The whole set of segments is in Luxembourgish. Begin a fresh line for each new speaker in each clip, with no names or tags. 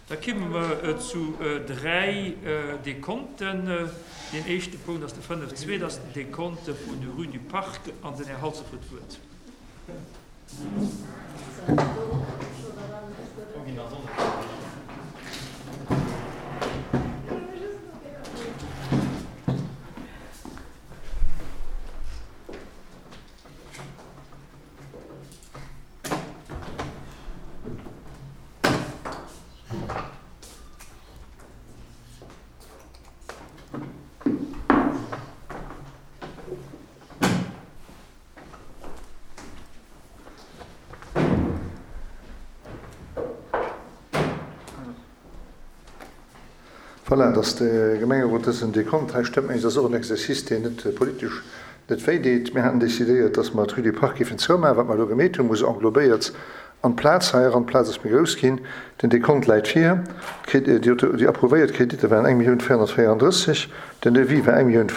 Da kimme mer zu 3 Dekonten. Deen éischte Punkt ass de 5.2, dat ass den Dekonte vun der Rue du Parc an den Här Halsdorf huet d'Wuert.
Voilà, dass de Gemengerot dësen Dekont hei stëmmt, mengen ech, ass och en Exercice, deen net politesch net wéi deet. Mir haten decidéiert, dass mer d'Rue du Parc géifen zoumaachen. Wat mer elo gemeet hunn, muss englobéiert an d'Plaz hei eran. D'Plaz ass méi grouss ginn. Den Dekont läit vir. Déi approuvéiert Kreditter waren 1.434 Millioun, den Devis war 1.5 Millioun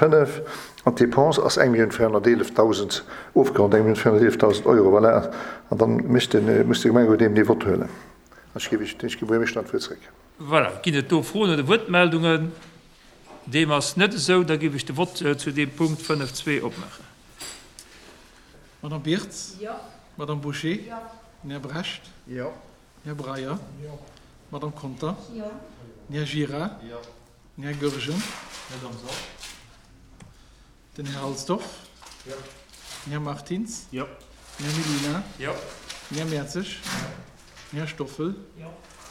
an d'Dépense ass 1.411.000, ofgeronnt 1.411.000 Euro. Voilà, an dann mécht de, muss de Gemengerot eben dee Vott huelen. An ech géif Iech, ech gi Buergermeeschter dann d'Wuert zréck.
Voilà, ginn et do Froen oder Wuertmeldungen? Deem ass net esou. Da géif ech de Vott zu deem Punkt 5.2 opmaachen.
Madame Birtz? Jo. Madame Bouché? Jo. Den Här Brecht? Jo. Den Här Breyer? Jo. Madame Conter? Jo. Den Här Gira? Jo. Den Här Goergen? Net am Sall. Den Här Halsdorf? Jo. Den Här Martins? Jo. Den Här Mellina? Jo. Den Här Mertzig? Jo. Den Här Stoffel? Jo.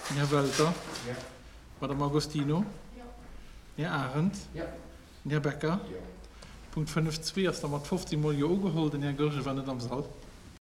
Den Här Welter? Jo. D'Madame Agostino? Jo. Den Här Arendt? Jo. Den Här Becker? Jo. Punkt 5.2 ass da mat 15 mol Jo ugeholl. Den Här Goergen war net am Sall.